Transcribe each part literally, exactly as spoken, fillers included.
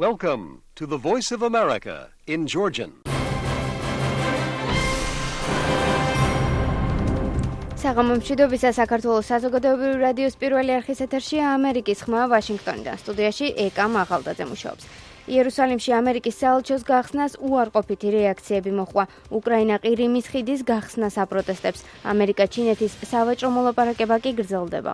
Welcome to the Voice of America in Georgian. საღამომშვიდობისა საქართველოს საზოგადოებრივი რადიოს პირველი არხის ეთერშია ამერიკის ხმა ვაშინგტონიდან. სტუდიაში ეკა მაღალდაძე მუშაობს. იერუსალიმში ამერიკის საელჩოს გახსნას უარყოფითი რეაქციები მოჰყვა. უკრაინა ყირიმის ხიდის გახსნას აპროტესტებს. ამერიკა-ჩინეთის სავაჭრო მოლაპარაკება კი გრძელდება.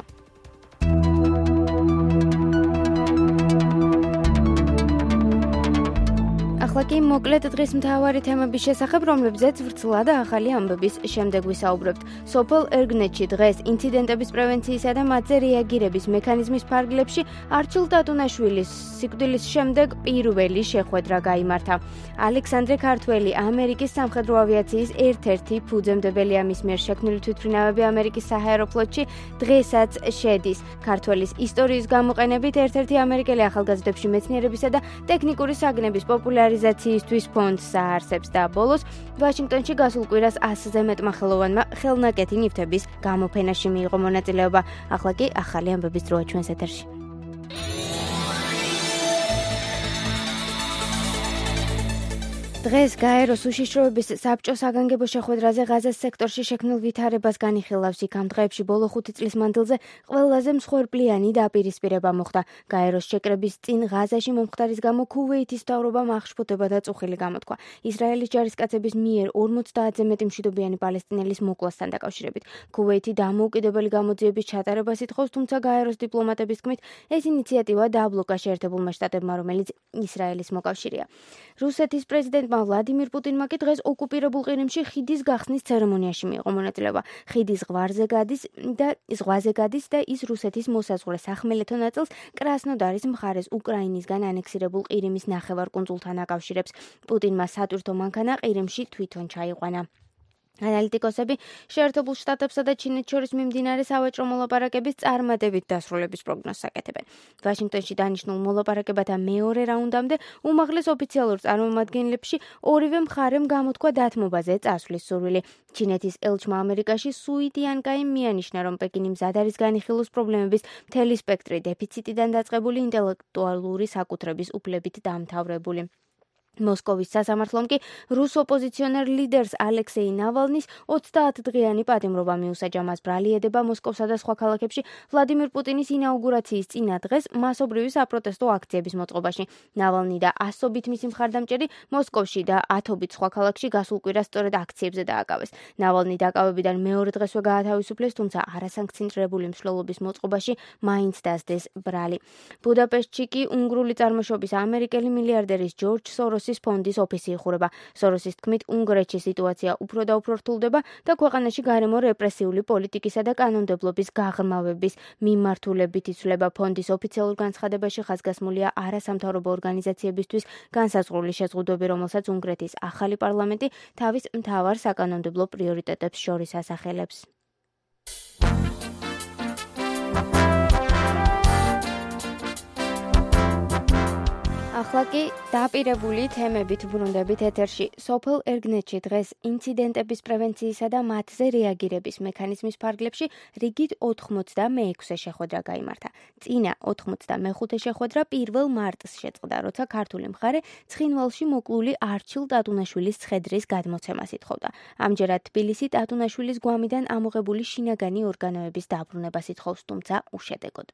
ახლა კი მოკლედ დღის მთავარი თემების შესახებ, რომლებზეც ვრცლა და ახალი ამბების შემდეგ ვისაუბრებთ. სოფელ ერგნეთში დღეს ინციდენტების პრევენციისა და მათზე რეაგირების მექანიზმის ფარგლებში არჩილ ტატუნაშვილის სიკვდილის შემდეგ პირველი შეხვედრა გაიმართა. ალექსანდრე ქართველი, ამერიკის სამხედრო ავიაციის ერთ-ერთი ფუძემდებელია, მის მიერ შექმნილი თვითმფრინავები ამერიკის საჰაერო ფლოტში დღესაც შედის. ქართველის ისტორიის გამოყენებით ერთ-ერთი ამერიკელი ახალგაზრდებში მეცნიერებისა და ტექნიკური საგნების პოპულარიზაციისთვის ფონდს აარსებს და ბოლოს ვაშინგტონში გასულ კვირას ასზე მეტმა ხელოვანმა ხელნაკეთი ნივთების გამოფენაში მიიღო მონაწილეობა. ახლა კი ახალი ამბების დროა ჩვენს ეთერში. დღეს გაეროს უშიშროების საბჭო საგანგებო შეხვედრაზე ღაზას სექტორში შექმნილ ვითარებას განიხილავს. იქ ამ დღეებში ბოლო ხუთი წლის მანძილზე ყველაზე მსხვერპლიანი დაპირისპირება მოხდა. გაეროს შეკრების წინ ღაზაში მომხდარის გამო ქუვეითის მთავრობამ აღშფოთება და წუხილი გამოთქვა. ისრაელის ჯარისკაცების მიერ ორმოცდაათზე მეტი მშვიდობიანი პალესტინელის მოკლასთან დაკავშირებით. ქუვეითი დამოუკიდებელი გამოძიების ჩატარებას ითხოვს, თუმცა გაეროს დიპლომატების თქმით, ეს ინიციატივა დააბლოკა შეერთებულმა შტატებმა, რომელიც ისრაელის მოკავშირეა. რუსეთის პრეზიდენტ ვლადიმირ პუტინმა კი დღეს ოკუპირებულ ყირიმში ხიდის გახსნის ცერემონიაში მიიღო მონაწილეობა. ხიდი ზღვაზე გადის და ზღვაზე გადის და ის რუსეთის მოსაზღვრე სახმელეთო ნაწილს კრასნოდარის მხარეს უკრაინისგან ანექსირებულ ყირიმის ნახევარკუნძულთან აკავშირებს. პუტინმა სატვირთო მანქანა ყირიმში თვითონ ჩაიყვანა. ანალიტიკოსები შეერთებულ შტატებსა და ჩინეთს შორის მიმდინარე სავაჭრო მოლაპარაკების წარმატებით დასრულების პროგნოზს აკეთებენ. ვაშინგტონში დანიშნულ მოლაპარაკებათა მეორე რაუნდამდე უმაღლეს ოფიციალურ წარმომადგენლებში ორივე მხარემ გამოთქვა დათმობაზე წასვლის სურვილი. ჩინეთის ელჩმა ამერიკაში სუი ტიანკაიმ მიანიშნა, რომ პეკინი მზად არის განიხილოს პრობლემების მთელი სპექტრი დეფიციტიდან დაწყებული ინტელექტუალური საკუთრების უფლებით დამთავრებული. მოსკოვის სასამართლომ კი რუს ოპოზიციონერ ლიდერს ალექსეი ნავალნის ოცდაათდღიანი პატიმრობა მიუსაჯა. მას ბრალი ედება მოსკოვსა და სხვა ქალაქებში ვლადიმირ პუტინის ინაუგურაციის წინა დღეს მასობრივი საპროტესტო აქციების მოწყობაში. ნავალნი და ასობით მისი მხარდამჭერი მოსკოვში და ათობით სხვა ქალაქში გასულ კვირას სწორედ აქციებზე დააკავეს. ნავალნი დაკავებიდან მეორე დღესვე გაათავისუფლეს, თუმცა არასანქციონირებული მსვლელობის მოწყობაში მაინც დასდეს ბრალი. ბუდაპეშტში კი უნგრული წარმოშობის ამერიკელი მილიარდერის ჯორჯ სოროსის ფონდის ოფისი იხურება. სოროსის თქმით, უნგრეთში სიტუაცია უფრო და უფრო რთულდება და ქვეყანაში გარემო რეპრესიული პოლიტიკისა და კანონმდებლობის გაღრმავების მიმართულებით იცვლება. ფონდის ოფიციალურ განცხადებაში ხაზგასმულია არასამთავრობო ორგანიზაციებისთვის განსაზღვრული შეზღუდვები, რომელსაც უნგრეთის ახალი პარლამენტი თავის მთავარ საკანონმდებლო პრიორიტეტებს შორის ასახელებს. ახლა კი დაპირებული თემებით ბრუნდებით ეთერში. სოფელ ერგნეთში დღეს ინციდენტების პრევენციისა და მათზე რეაგირების მექანიზმის ფარგლებში რიგით ოთხმოცდამეექვსე შეხვედრა გაიმართა. წინა ოთხმოცდამეხუთე შეხვედრა პირველ მარტს შეწყდა, როცა ქართული მხარე ცხინვალში მოკლული არჩილ ტატუნაშვილის ცხედრის გადმოცემას ითხოვდა. ამჯერად თბილისი ტატუნაშვილის გვამიდან ამოღებული შინაგანი ორგანოების დაბრუნებას ითხოვს, თუმცა უშედეგოდ.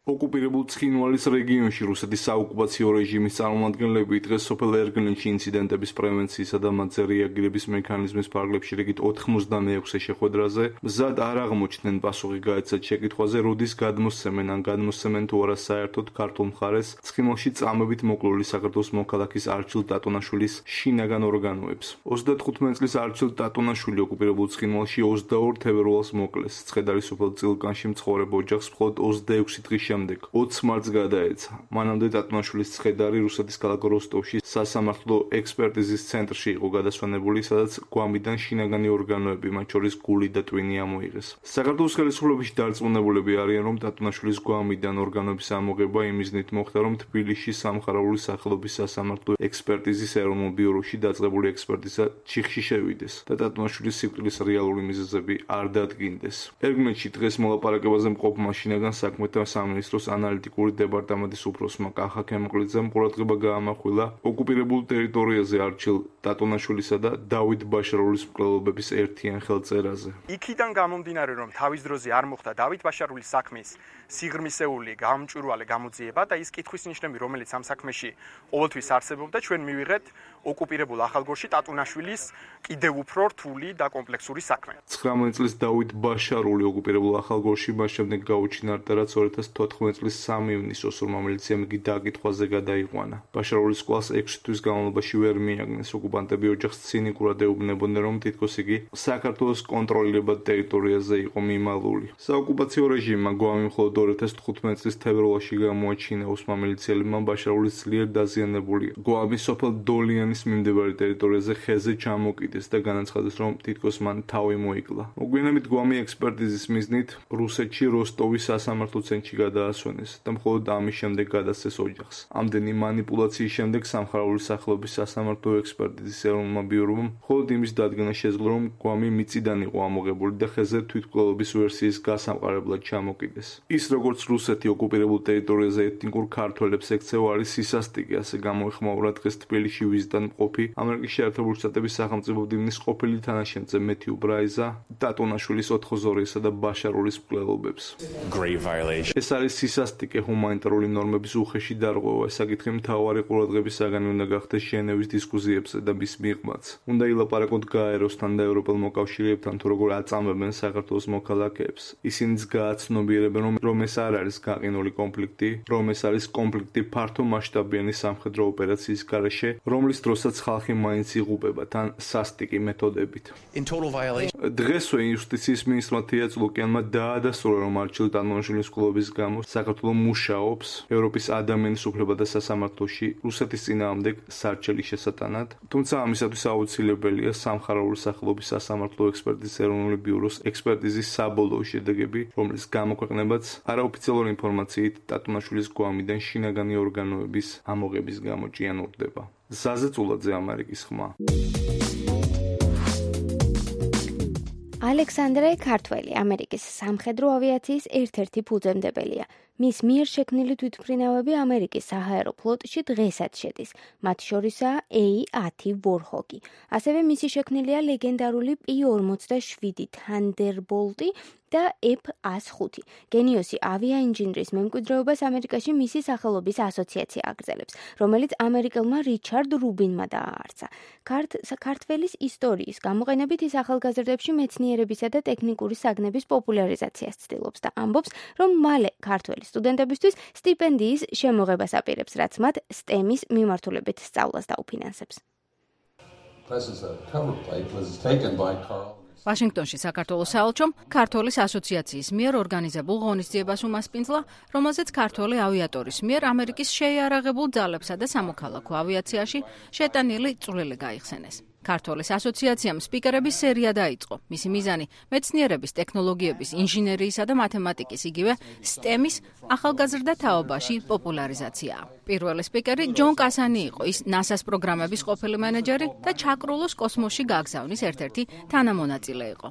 ოკუპირებულ ცხინვალის რეგიონში რუსეთის საოკუპაციო რეჟიმის წარმომადგენლები დღეს სოფელ ერგნეთში ინციდენტების პრევენციისა და მათზე რეაგირების მექანიზმის ფარგლებში რიგით ოთხმოცდამეექვსე შეხვედრაზე მზად არ აღმოჩნდნენ პასუხი გაეცათ შეკითხვაზე, როდის გადმოსცემენ ან გადმოსცემენ თუ არა საერთოდ ქართულ მხარეს ცხინვალში წამებით მოკლული საქართველოს მოქალაქის არჩილ ტატუნაშვილის შინაგან ორგანოებს. ოცდათხუთმეტი წლის არჩილ ტატუნაშვილი ოკუპირებულ ცხინვალში ოცდაორ თებერვალს მოკლეს. ცხედარი სოფელ წილკანში მცხოვრებ ოჯახს მხოლოდ ოცდაექვსი დღის შემდეგ ოცს მარტს გადაეცა. მანამდე ტატუნაშვილის ცხედარი რუსეთის ქალაქ როსტოვში სასამართლო ექსპერტიზის ცენტრში იყო გადასვენებული, სადაც გვამიდან შინაგანი ორგანოები, მათ შორის გული და ტვინი ამოიღეს. საქართველოს ხელისუფლებაში დარწმუნებულები არიან, რომ ტატუნაშვილის გვამიდან ორგანოების ამოღება იმ მიზნით მოხდა, რომ თბილისში სამხარაული სახელობის სასამართლო ექსპერტიზის ეროვნულ ბიუროში დაწყებული ექსპერტიზა ჩიხში შევიდეს და ტატუნაშვილის სიკვდილის რეალური მიზეზები არ დადგინდეს. ერგნეთში დღეს მოლაპარაკებაზე მყოფმა შინაგან საქმეთა სამინისტროს სამინისტროს ანალიტიკური დეპარტამენტის უფროსმა კახა ქემოკლიძემ ყურადღება გაამახვილა ოკუპირებულ ტერიტორიაზე არჩილ ტატონაშვილისა და დავით ბაშარულის მკვლელობების ერთიან ხელწერაზე. იქიდან გამომდინარე, რომ თავის დროზე არ მოხდა დავით ბაშარულის საქმის სიღრმისეული გამჭვირვალე გამოძიება და ის კითხვის ნიშნები, რომელიც ამ საქმეში ყოველთვის არსებობდა, ჩვენ მივიღეთ ოკუპირებულ ახალგორში ტატონაშვილის კიდევ უფრო რთული და კომპლექსური საქმე. ცხრამეტი წლის დავით ბაშარული ოკუპირებულ ახალგორში მას შემდეგ გაუჩინარდა, რაც ორი ათას თოთხმეტი წლის სამი ივნისს ოსურმა მილიციამ იგი დაკითხვაზე გადაიყვანა. ბაშარულის კვლას ექვსი თვის განმავლობაში ვერ მიაგნეს. ოკუპანტები ოჯახს ცინიკურად ეუბნებოდნენ, რომ თითქოს იგი საქართველოს კონტროლირებად ტერიტორიაზე იყო მიმალული. საოკუპაციო რეჟიმმა გვამი მხოლოდ ორი ათას თხუთმეტი წლის თებერვალში გამოაჩინა ოსმა მილიციელებმა ბაშარულის ძლიერ დაზიანებული გვამი სოფელ დოლიანის მიმდებარე ტერიტორიაზე ხეზე ჩამოკიდეს და განაცხადეს, რომ თითქოს მან თავი მოიკლა. მოგვიანებით გვამი ექსპერტიზის მიზნით რუსეთში როსტოვის სასამართლო ცენტრში გადაასვენეს და მხოლოდ ამის შემდეგ გადასცეს ოჯახს. ამდენი მანიპულაციის შემდეგ სამხარეული სახელობის სასამართლო ექსპერტიზის ეროვნულმა ბიურომ მხოლოდ იმის დადგენა შეძლო, რომ გვამი მიწიდან იყო ამოღებული და ხეზე თვითმკვლელობის ვერსიის გასამყარებლად ჩამოკიდეს. ის როგორც რუსეთი ოკუპირებულ ტერიტორიაზე ეთნიკურ ქართველებს ექცევა არის სისასტიკე, ასე გამოეხმაურა დღეს თბილისში ვიზიტად მყოფი ამერიკის შეერთებული შტატების სახელმწიფო მდივნის ყოფილი თანაშემწე მეთიუ ბრაიზა ტატონაშვილის ოთხოზორიესა და ბაშარულის მკვლელობებს. ეს არის სისასტიკე, ჰუმანიტარული ნორმების უხეში დარღვევა. საკითხი მთავარი ყურადღების საგანი უნდა გახდეს ჟენევის დისკუსიებზე და მის მიღმაც. უნდა ილაპარაკოთ გაეროსთან და ევროპელ მოკავშირეებთან, თუ როგორ აწამებენ საქართველოს მოქალაქეებს. ისინიც გააცნობიერებენ, რომ რომ ეს არ არის გაყინული კონფლიქტი, რომ ეს არის კონფლიქტი ფართო მასშტაბიანი სამხედრო ოპერაციის გარეშე, რომლის დროსაც ხალხი მაინც იღუპება თან სასტიკი მეთოდებით. დღესვე იუსტიციის მინისტრმა თია წლუკიანმა დაადასტურა, რომ არჩილ ტატონაშვილის მკვლელობის გამო საქართველო მუშაობს ევროპის ადამიანის უფლებათა სასამართლოში რუსეთის წინააღმდეგ სარჩელის შესატანად, თუმცა ამისათვის აუცილებელია სამხარეული სახელობის სასამართლო ექსპერტიზის ეროვნული ბიუროს ექსპერტიზის საბოლოო შედეგები, რომლის გამოქვეყნებაც არაოფიციალური ინფორმაციით ტატონაშვილის გვამიდან შინაგანი ორგანოების ამოღების გამო ჭიანურდება. ზაზე წულაძე, ამერიკის ხმა. ალექსანდრე ქართველი ამერიკის სამხედრო ავიაციის ერთ-ერთი ფუძემდებელია. მის მიერ შექმნილი თვითმფრინავები ამერიკის საჰაერო ფლოტში დღესაც შედის. მათ შორისაა ეი ათი ვორჰოგი. ასევე მისი შექმნილია ლეგენდარული პი ორმოცდაშვიდი თანდერბოლტი და ეფ ას ხუთი. გენიოსი ავიაინჟინრის მემკვიდრეობას ამერიკაში მისი სახელობის ასოციაცია აგრძელებს, რომელიც ამერიკელმა რიჩარდ რუბინმა დააარსა. ქართველის ისტორიის გამოყენებით ის ახალგაზრდებში მეცნიერებისა და ტექნიკური საგნების პოპულარიზაციას ცდილობს და ამბობს, რომ მალე ქართველი სტუდენტებისთვის სტიპენდიის შემოღებას აპირებს, რაც მათ სტემის მიმართულებით სწავლას დაუფინანსებს. ვაშინგტონში საქართველოს საელჩომ ქართველის ასოციაციის მიერ ორგანიზებულ ღონისძიებას უმასპინძლა, რომელზეც ქართველი ავიატორის მიერ ამერიკის შეიარაღებულ ძალებსა და სამოქალაქო ავიაციაში შეტანილი წვლილი გაიხსენეს. ქართველის ასოციაციამ სპიკერების სერია დაიწყო. მისი მიზანი მეცნიერების, ტექნოლოგიების, ინჟინერიისა და მათემატიკის, იგივე სტემის ახალგაზრდა თაობაში პოპულარიზაციაა. პირველი სპიკერი ჯონ კასანი იყო, ის ნასას პროგრამების ყოფილი მენეჯერი და ჩაკრულოს კოსმოსში გაგზავნის ერთ-ერთი თანამონაწილე იყო.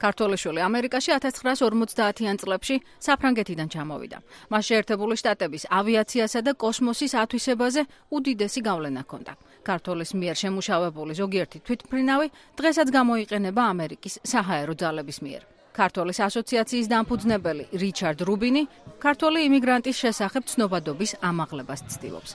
ქართველიშვილი ამერიკაში ათას ცხრაას ორმოცდაათიან წლებში საფრანგეთიდან ჩამოვიდა. მას შეერთებული შტატების ავიაციასა და კოსმოსის ათვისებაზე უდიდესი გავლენა ჰქონდა. ქართველის მიერ შემუშავებული ზოგიერთი თვითმფრინავი დღესაც გამოიყენება ამერიკის საჰაერო ძალების მიერ. ქართველის ასოციაციის დამფუძნებელი რიჩარდ რუბინი ქართველი იმიგრანტის შესახებ ცნობადობის ამაღლებას ცდილობს.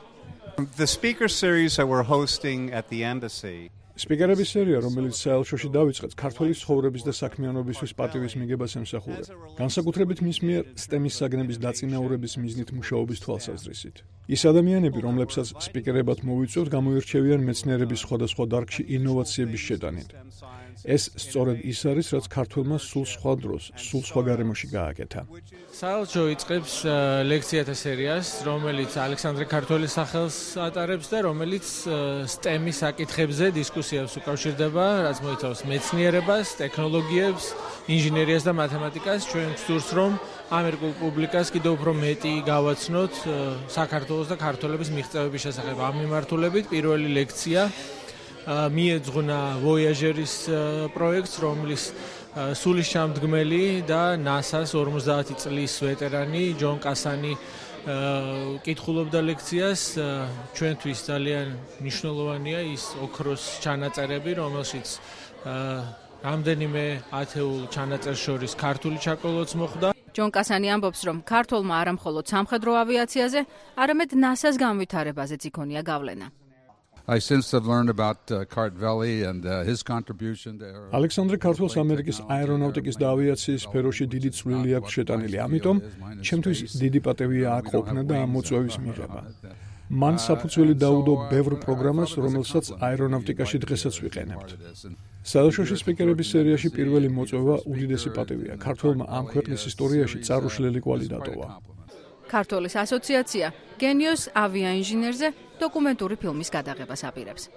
The speaker series that we're hosting at the embassy სპიკერების სერია, რომელიც საელჩოში დავიწყეთ, ქართველის ცხოვრების და საქმიანობისთვის პატივის მიგებას ემსახურება. განსაკუთრებით მის მიერ სტემის საგნების დაწინაურების მიზნით მუშაობის თვალსაზრისით. ის ადამიანები, რომლებსაც სპიკერებად მოვიწვევთ, გამოირჩევიან მეცნიერების სხვადასხვა დარგში ინოვაციების შეტანით. ეს სწორედ ის არის, რაც ქართველმა სულ სხვა დროს, სულ სხვა გარემოში გააკეთა. საელჩო იწყებს ლექციათა სერიას, რომელიც ალექსანდრე ქართველის სახელს ატარებს და რომელიც სტემის საკითხებზე დისკუსიებს უკავშირდება, რაც მოიცავს მეცნიერებას, ტექნოლოგიებს, ინჟინერიას და მათემატიკას. ჩვენ ვსურს, რომ ამერიკულ პუბლიკას კიდევ უფრო მეტი გავაცნოთ საქართველოს და ქართველების მიღწევების შესახებ. ამ მიმართულებით პირველი ლექცია მიეძღვნა ვოიაჟერის პროექტს, რომლის სულისჩამდგმელი და ნასას ორმოცდაათი წლის ვეტერანი ჯონ კასანი კითხულობდა ლექციას. ჩვენთვის ძალიან მნიშვნელოვანია ის ოქროს ჩანაწერები, რომელშიც რამდენიმე ათეულ ჩანაწერს შორის ქართული ჩაკოლოც მოხვდა. ჯონ კასანი ამბობს, რომ ქართულმა არა მხოლოდ სამხედრო ავიაციაზე, არამედ ნასას განვითარებაზეც იქონია გავლენა. I since have learned about uh, Kartveli and uh, his contribution there. ალექსანდრე ქართულს ამერიკის აერონავტიკის და ავიაციის სფეროში დიდი წვლილი აქვს შეტანილი, ამიტომ ჩემთვის დიდი პატევია აქ ყოფნა და ამ მოწვევის მიღება. მან საფუძველი დაუდო ბევრ პროგრამას, რომელსაც აერონავტიკაში დღესაც ვიყენებთ. საელჩოში სპიკერების სერიაში პირველი მოწვევა უდიდესი პატევია. ქართველმა ამ ქვეყნის ისტორიაში წარუშლელი კვალი დატოვა. ქართულის ასოციაცია გენიოს ავიაინჟინერზე დოკუმენტური ფილმის გადაღებას აპირებს.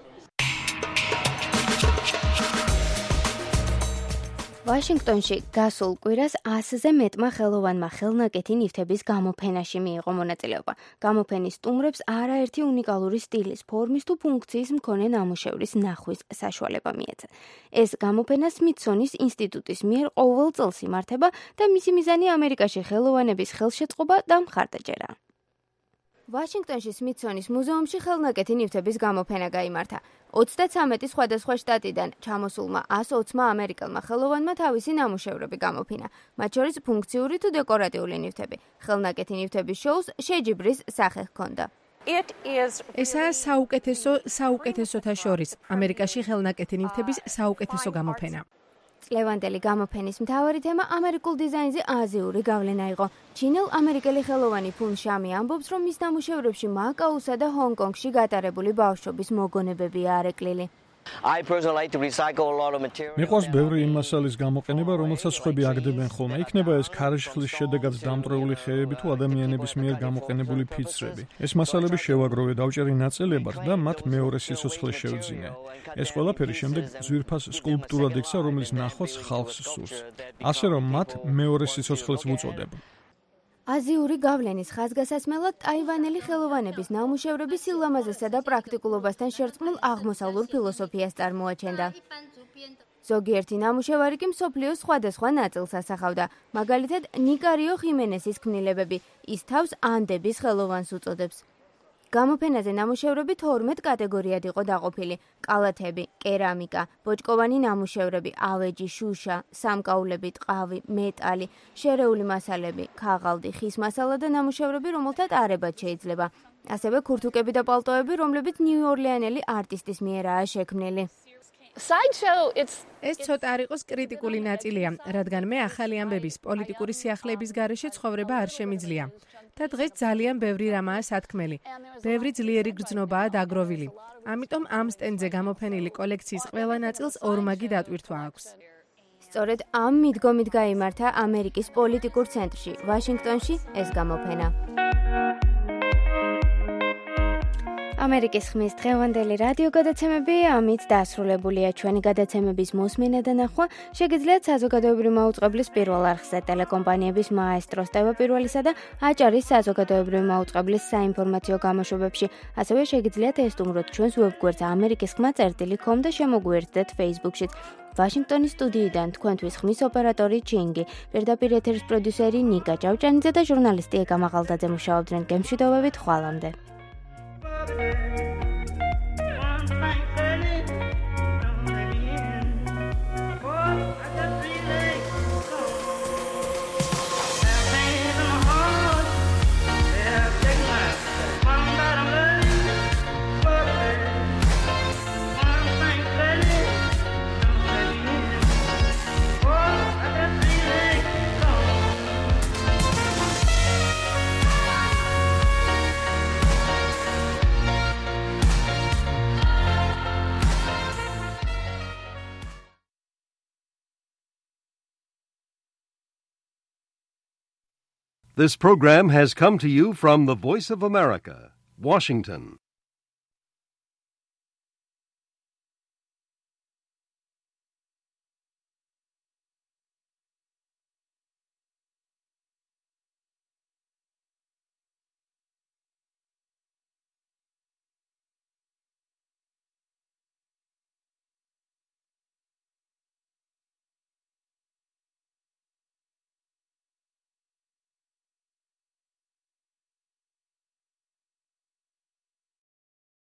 ვაშინგტონში გასულ კვირას ასზე მეტმა ხელოვანმა ხელნაკეთი ნივთების გამოფენაში მიიღო მონაწილეობა. გამოფენის სტუმრებს არაერთი უნიკალური სტილის, ფორმის თუ ფუნქციის მქონე ნამუშევრის ნახვის საშუალება მიეცა. ეს გამოფენა სმითსონის ინსტიტუტის მიერ ყოველ წელს იმართება და მისი მიზანი ამერიკაში ხელოვანების ხელშეწყობა და მხარდაჭერა. ვაშინგტონში სმითსონის მუზეუმში ხელნაკეთი ნივთების გამოფენა გაიმართა. ოცდაცამეტი სხვადასხვა შტატიდან ჩამოსულმა ასი ოცმა ამერიკელმა ხელოვანმა თავისი ნამუშევრები გამოფინა, მათ შორის ფუნქციური თუ დეკორატიული ნივთები. ხელნაკეთი ნივთების შოუს შეჯიბრის სახე ჰქონდა. ესაა საუკეთესო საუკეთესოთა შორის ამერიკაში ხელნაკეთი ნივთების საუკეთესო გამოფენა. წლევანდელი გამოფენის მთავარი თემა ამერიკულ დიზაინზე აზიური გავლენა იყო. ჩინელ ამერიკელი ხელოვანი ფუნ შამი ამბობს, რომ მის ნამუშევრებში მაკაუსა და ჰონგ-კონგში გატარებული ბავშვობის მოგონებებია არეკლილი. მიყვარს ბევრი იმ მასალის გამოყენება, რომელსაც სხვები აგდებენ ხოლმე. იქნება ეს ქარიშხლის შედეგად დამტვრეული ხეები თუ ადამიანების მიერ გამოყენებული ფიცრები. ეს მასალები შევაგროვე, დავჭერი ნაწილებად და მათ მეორე სიცოცხლე შევძინე. ეს ყველაფერი შემდეგ ძვირფას სკულპტურად იქცა, რომელიც ნახვაც ხალხს სურს. ასე რომ მათ მეორე სიცოცხლეც ვუწოდებ. აზიური გავლენის ხაზგასასმელად ტაივანელი ხელოვანების ნამუშევრები სილამაზესა და პრაქტიკულობასთან შერწყმულ აღმოსავლურ ფილოსოფიას წარმოაჩენდა. ზოგიერთი ნამუშევარი კი მსოფლიოს სხვადასხვა ნაწილს ასახავდა. მაგალითად, ნიკარიო ხიმენესის ქმნილებები, ის თავს ანდების ხელოვანს უწოდებს. გამოფენაზე ნამუშევრები თორმეტ კატეგორიად იყო დაყოფილი: კალათები, კერამიკა, ბოჭკოვანი ნამუშევრები, ავეჯი, შუშა, სამკაულები, ტყავი, მეტალი, შერეული მასალები, ქაღალდი, ხის მასალა და ნამუშევრები, რომელთა ტარებაც შეიძლება. ასევე ქურთუკები და პალტოები, რომლებიც ნიუ-ორლეანელი არტისტის მიერაა შექმნილი. ეს ცოტა არ იყოს კრიტიკული ნაწილია, რადგან მე ახალი ამბების პოლიტიკური სიახლეების გარეშე ცხოვრება არ შემიძლია. და დღეს ძალიან ბევრი რამაა სათქმელი. ბევრი ძლიერი გრძნობაა დაგროვილი. ამიტომ ამ სტენდზე გამოფენილი კოლექციის ყველა ნაწილს ორმაგი დატვირთვა აქვს. სწორედ ამ მიდგომით გაიმართა ამერიკის პოლიტიკურ ცენტრში, ვაშინგტონში ეს გამოფენა. ამერიკის ხმის დღევანდელი რადიო გადაცემები ამით დასრულებულია. ჩვენი გადაცემების მოსმენა და ნახვა შეგიძლიათ საზოგადოებრივი მაუწყებლის პირველ არხზე, ტელეკომპანიების მაესტროს ტევ-პირველისა და აჭარის საზოგადოებრივი მაუწყებლის საინფორმაციო გამოშვებებში. ასევე შეგიძლიათ ესტუმროთ ჩვენს ვებგვერდს ამერიკის ხმა წერტილი კომ და შემოგვიერთდეთ Facebook-შიც. ვაშინგტონის სტუდიიდან თქვენთვის ხმის ოპერატორი ჩინგი, პირდაპირ ეთერის პროდიუსერი ნიკა ჭავჭანიძე და ჟურნალისტი ეკა მაღალდაძე მუშაობდნენ გემშვიდობებით ხვალამდე. This program has come to you from the Voice of America, Washington.